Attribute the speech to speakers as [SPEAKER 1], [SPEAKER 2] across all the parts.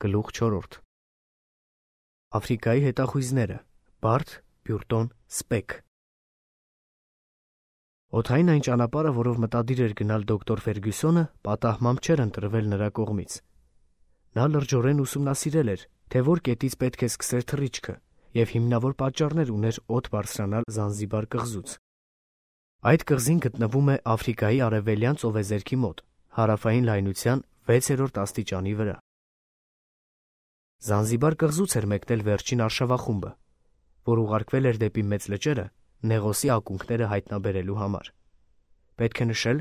[SPEAKER 1] Գլուխ 4 Աֆրիկայի հետախույզները Բարդ, Բյուրտոն, Սպեք Օդային այն ճանապարհը, որով մտադիր էր գնալ դոկտոր Ֆերգյուսոնը, պատահմամբ չէր ընտրվել նրա կողմից։ Նա լրջորեն ուսումնասիրել էր, թե որ կետից պետք է սկսեր թռիչքը, եւ հիմնավոր պատճառներ ուներ օդ բարձրանալ Զանզիբար կղզուց։ Այդ կղզին գտնվում է Աֆրիկայի արևելյան ծովեզերքի մոտ, հարավային լայնության 6-րդ աստիճանի վրա։ Զանզիբար կղզուց էր մեկնել վերջին արշավախումբը, որ ուղարկվել էր դեպի Մեծ լճերը Նեղոսի ակունքները հայտնաբերելու համար։ Պետք է նշել,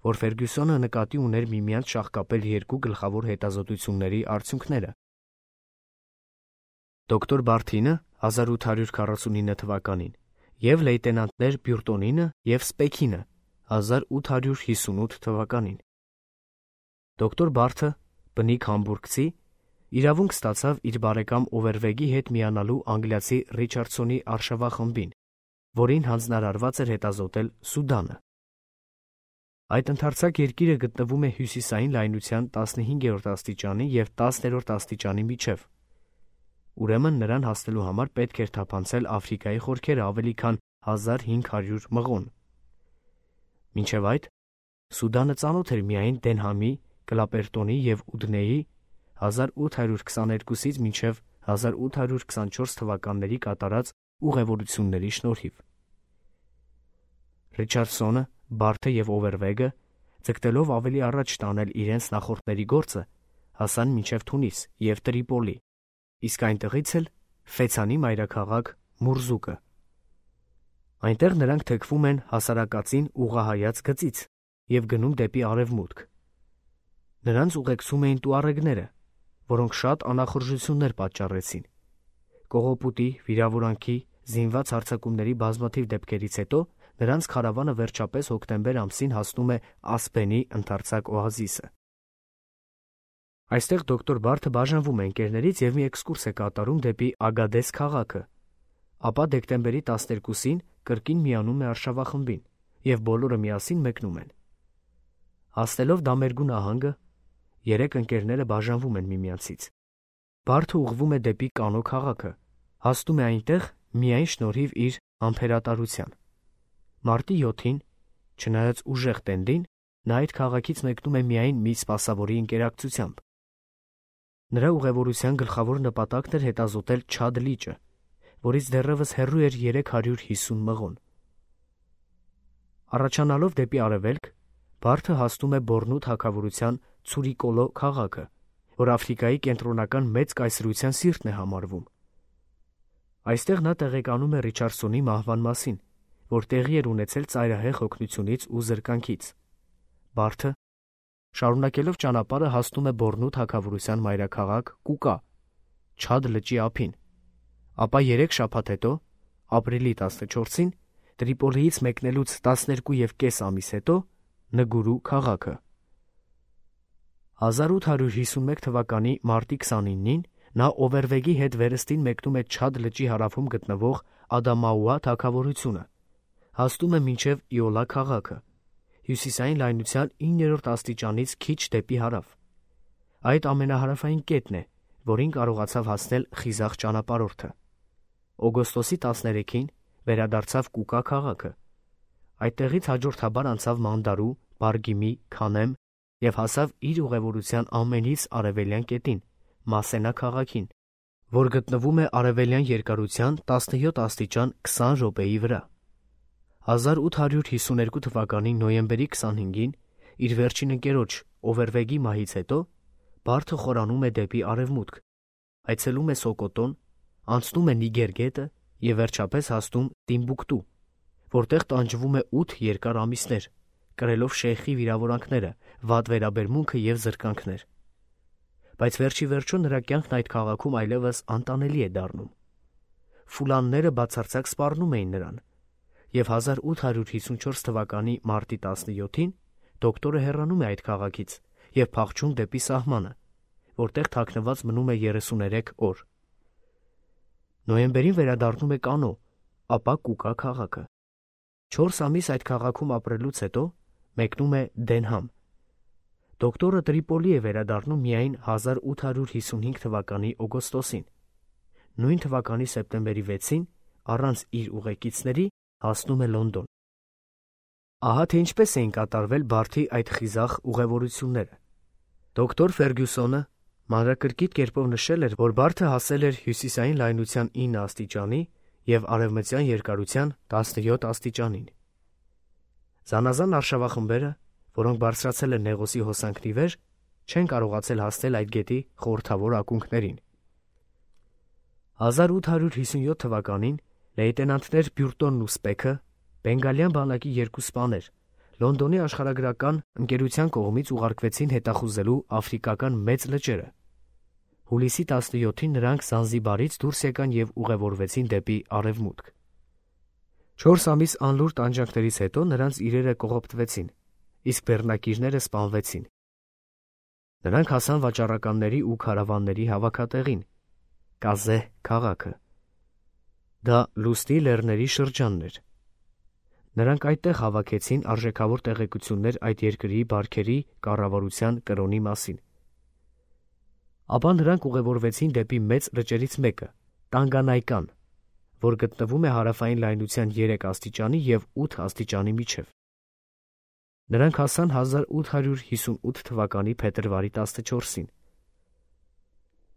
[SPEAKER 1] որ Ֆերգյուսոնը նկատի ուներ միմյանց շաղկապել երկու գլխավոր հետազոտությունների արդյունքները։ Դոկտոր Բարթինը 1849 թվականին եւ լեյտենանտներ Բյուրտոնինը եւ Սպեքինը 1858 թվականին։ Դոկտոր Բարթը, բնիկ համբուրգցի, իրավունք ստացավ իր բարեկամ Օվերվեգի հետ միանալու անգլիացի Ռիչարդսոնի արշավախմբին, որին հանձնարարված էր հետազոտել Սուդանը։ Այդ ընդարձակ երկիրը գտնվում է հյուսիսային լայնության 15-րդ աստիճանի եւ 10-րդ աստիճանի միջև։ Ուրեմն նրան հասնելու համար պետք էր թափանցել Աֆրիկայի խորքերը ավելի քան 1500 մղոն։ Մինչև այդ Սուդանը ծանոթ էր միայն Դենհամի, Կլապերտոնի եւ Ուդնեի 1822-ից մինչև 1824 թվականների կատարած ուղևորությունների շնորհիվ։ Ռիչարդսոնը, Բարթը եւ Օվերվեգը, ձգտելով ավելի առաջ տանել իրենց նախորդների գործը, հասան մինչև Թունիս եւ Տրիպոլի, իսկ այնտեղից էլ Ֆեցանի մայրաքաղաք Մուրզուկը։ Այնտեղ նրանք թեքվում են հասարակածին ուղղահայաց գծից եւ գնում դեպի արևմուտք։ Նրանց ուղեկցում էին տուարեգները, որոնք շատ անախորժություններ պատճառեցին։ Կողոպուտի, վիրավորանքի, զինված հարձակումների բազմաթիվ դեպքերից հետո նրանց քարավանը վերջապես հոկտեմբեր ամսին հասնում է Ասպենի ընդարձակ օազիսը։ Այստեղ դոկտոր Բարթը բաժանվում է ընկերներից եւ մի էքսկուրս է կատարում դեպի Ագադես քաղաքը, ապա դեկտեմբերի 12-ին կրկին միանում է արշավախմբին եւ բոլորը միասին մեկնում են։ Հասնելով Դամերգու նահանգը, երեք ընկերները բաժանվում են միմյանցից։ Բարթը ուղղվում է դեպի Կանո քաղաքը, հասնում է այնտեղ միայն շնորհիվ իր համբերատարության։ Մարտի 7-ին, չնայած ուժեղ տենդին, նա այդ քաղաքից մեկնում է միայն մի սպասավորի ընկերակցությամբ։ Նրա ուղևորության գլխավոր նպատակն էր հետազոտել Չադ լիճը, որից դեռևս հեռու էր 350 մղոն։ Առաջանալով դեպի արևելք, Բարթը հասնում է Բորնու թագավորության Ցուրիկոլո քաղաքը, որ Աֆրիկայի կենտրոնական մեծ կայսրության սիրտն է համարվում։ Այստեղ նա տեղեկանում է Ռիչարդսոնի մահվան մասին, որ տեղի էր ունեցել ծայրահեղ օգնությունից ու զրկանքից։ Բարթը, շարունակելով ճանապարհը, հասնում է Բորնու թագավորության մայրաքաղաք Կուկա, Չադ լճի ափին, ապա 3 շաբաթ հետո, ապրիլի 14-ին, Տրիպոլիից մեկնելուց 12.5 ամիս հետո, Նգուրու քաղաքը։ 1851 թվականի մարտի 29-ին նա Օվերվեգի հետ վերստին մեկնում է Չադ լճի հարավում գտնվող Ադամաուա թագավորությունը, հասնում է մինչև Իոլա քաղաքը, հյուսիսային լայնության 9-րդ աստիճանից քիչ դեպի հարավ։ Այդ ամենահարավային կետն է, որին կարողացավ հասնել խիզախ ճանապարհորդը։ Օգոստոսի 13-ին վերադարձավ Կուկա քաղաքը։ Այդտեղից հաջորդաբար անցավ Մանդարու, Բարգիմի, Քանեմ եւ հասավ իր ուղևորության ամենից արևելյան կետին, Մասենա քաղաքին, որ գտնվում է արևելյան երկարության 17 աստիճան 20 րոպեի վրա։ 1852 թվականի նոյեմբերի 25-ին իր վերջին ընկերոջ Օվերվեգի մահից հետո Բարթը խորանում է դեպի արևմուտք, այցելում է Սոկոտոն, անցնում է Նիգեր գետը եւ վերջապես հասնում Տիմբուկտու, որտեղ տանջվում է 8 երկար ամիսներ, կրելով շեյխի վիրավորանքները, վատ վերաբերմունքը եւ զրկանքներ։ Բայց վերջի վերջո նրա կյանքն այդ քաղաքում այլևս անտանելի է դառնում։ Ֆուլանները բացարձակ սպառնում էին նրան, եւ 1854 թվականի մարտի 17-ին դոկտորը հեռանում է այդ քաղաքից եւ փախչում դեպի սահմանը, որտեղ թաքնված մնում է 33 օր։ Նոյեմբերին վերադառնում է Կանո, ապա Կուկա քաղաքը։ 4 ամիս այդ քաղաքում ապրելուց հետո մեկնում է Դենհամ։ Դոկտորը Տրիպոլի է վերադառնում միայն 1855 թվականի օգոստոսին։ Նույն թվականի սեպտեմբերի 6-ին, առանց իր ուղեկիցների, հասնում է Լոնդոն։ Ահա թե ինչպես էին կատարվել Բարթի այդ խիզախ ուղևորությունները։ Դոկտոր Ֆերգյուսոնը մանրակրկիտ կերպով նշել էր, որ Բարթը հասել էր հյուսիսային լայնության 9 աստիճանի և արևմտյան երկարության 17 աստիճանին։ Զանազան արշավախմբերը, որոնք բարձրացել են Նեղոսի հոսանքն ի վեր, չեն կարողացել հասնել այդ գետի խորհրդավոր ակունքներին։ 1857 թվականին լեյտենանտներ Բյուրտոնն ու Սպեքը, բենգալյան բանակի երկու սպաներ, Լոնդոնի աշխարհագրական ընկերության կողմից ուղարկվեցին հետախուզելու աֆրիկական մեծ լճերը։ Հուլիսի 17-ին նրանք Զանզիբարից դուրս եկան և ուղևորվեցին դեպի արևմուտք։ 4 ամիս անլուր տանջանքներից հետո նրանց իրերը կողոպտվեցին, իսկ բեռնակիրները սպանվեցին։ Նրանք հասան վաճառականների ու քարավանների հավաքատեղին՝ Կազեհ քաղաքը։ Դա լուսնի լեռների շրջանն էր։ Նրանք այդտեղ հավաքեցին արժեքավոր տեղեկություններ այդ երկրի բարքերի կառավարության կրոնի մասին։ Ապա նրանք ուղևորվեցին դեպի մեծ լճերից մեկը՝ Տանգանայկան, որ գտնվում է հարավային լայնության 3 աստիճանի և 8 աստիճանի միջև։ Նրանք հասան 1858 թվականի փետրվարի 14-ին։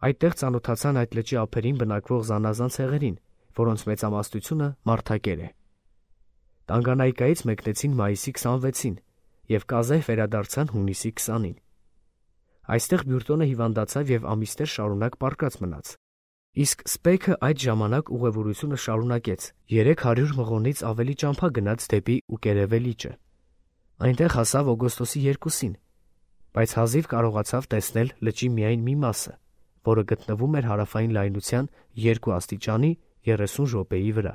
[SPEAKER 1] Այդտեղ ծանոթացան այդ լճի ափերին բնակվող զանազան ցեղերին, որոնց մեծամասնությունը մարդակեր է։ Տանգանայկայից մեկնեցին մայիսի 26-ին և Կազեհ վերադարձան հունիսի 20-ին։ Այստեղ Բյուրտոնը հիվանդացավ և ամիսներ շարունակ պառկած մնաց։ Իսկ Սպեքը այդ ժամանակ ուղևորությունը շարունակեց, 300 մղոնից ավելի ճամփա գնաց դեպի Ուկերևե լիճը։ Այնտեղ հասավ օգոստոսի 2-ին, բայց հազիվ կարողացավ տեսնել լճի միայն մի մասը, որը գտնվում էր հարավային լայնության 2 աստիճանի 30 րոպեի վրա։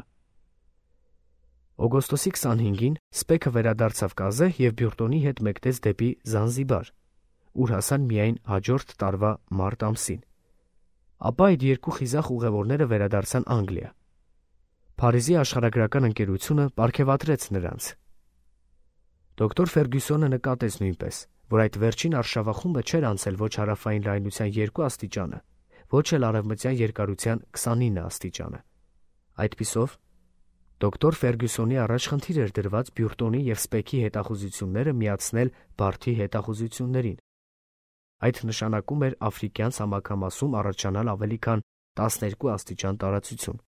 [SPEAKER 1] Օգոստոսի 25-ին Սպեքը վերադարձավ Կազեհ և Բյուրտոնի հետ մեկնեց դեպի Զանզիբար, ուր հասան միայն հաջորդ տարվա մարտ ամսին։ Ապա այդ երկու խիզախ ուղևորները վերադարձան Անգլիա։ Փարիզի աշխարհագրական ընկերությունը պարգևատրեց նրանց։ Դոկտոր Ֆերգյուսոնը նկատեց նույնպես, որ այդ վերջին արշավախումբը չէր անցել ոչ հարավային լայնության 2 աստիճանը, ոչ էլ արևմտյան երկարության 29 աստիճանը։ Այդպիսով, դոկտոր Ֆերգյուսոնի առաջ խնդիր էր դրված Բյուրտոնի և Սպեքի հետախուզությունները միացնել Բարթի հետախուզություններին։ Այդ նշանակում էր աֆրիկյան ցամաքամասում առաջանալ ավելի քան 12 աստիճան տարածություն։